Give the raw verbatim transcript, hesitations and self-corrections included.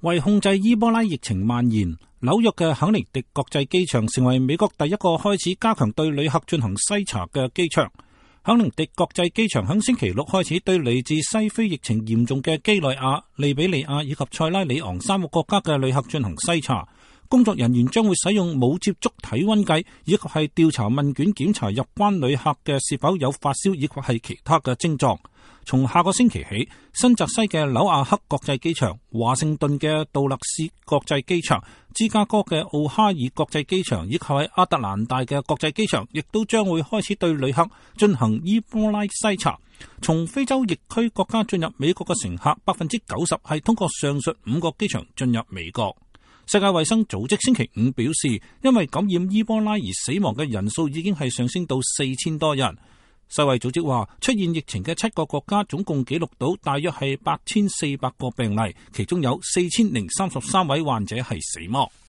為控制伊波拉疫情蔓延，紐約嘅肯尼迪國際機場成為美國第一個開始加強對旅客進行篩查嘅機場。肯尼迪國際機場喺星期六開始對嚟自西非疫情嚴重嘅幾內亞、利比里亞以及塞拉利昂三個國家嘅旅客進行篩查。工作人員將會使用冇接觸體溫計，以及係調查問卷檢查入關旅客嘅是否有發燒，以及係其他嘅症狀。從下個星期起，新澤西嘅紐亞克國際機場、華盛頓嘅杜勒斯國際機場、芝加哥嘅奧哈爾國際機場以及喺亞特蘭大嘅國際機場，亦都將會開始對旅客進行伊波拉篩查。從非洲疫區國家進入美國嘅乘客，百分之九十係通過上述五個機場進入美國。世界衛生組織星期五表示，因為感染伊波拉而死亡嘅人數已經係上升到四千多人。世衛組織話，出現疫情嘅七個國家總共記錄到大約係八千四百個病例，其中有四千零三十三位患者係死亡。